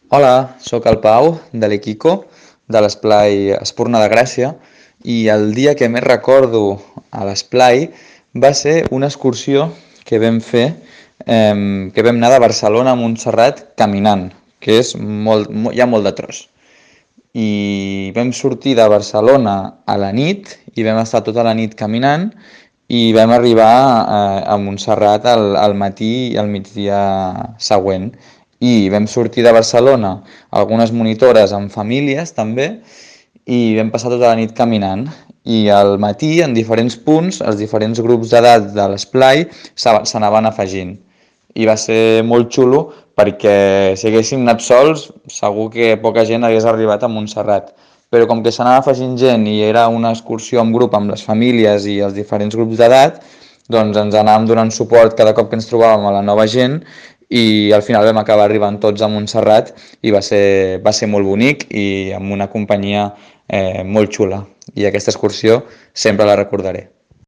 Hola, sóc el Pau, de l'Equico, de l'Esplai Espurna de Gràcia, i el dia que més recordo a l'Esplai va ser una excursió que vam fer, que vam anar de Barcelona a Montserrat caminant, que és hi ha molt de tros. I vam sortir de Barcelona a la nit i vam estar tota la nit caminant i vam arribar a Montserrat al matí i al migdia següent. I vam sortir de Barcelona algunes monitores amb famílies també i vam passar tota la nit caminant. I al matí, en diferents punts, els diferents grups d'edat de l'esplai s'anaven afegint i va ser molt xulo perquè si haguéssim anat sols segur que poca gent hagués arribat a Montserrat. Però com que s'anava afegint gent i era una excursió en grup amb les famílies i els diferents grups d'edat, doncs ens anàvem donant suport cada cop que ens trobàvem a la nova gent i al final vam acabar arribant tots a Montserrat i va ser molt bonic i amb una companyia molt xula. I aquesta excursió sempre la recordaré.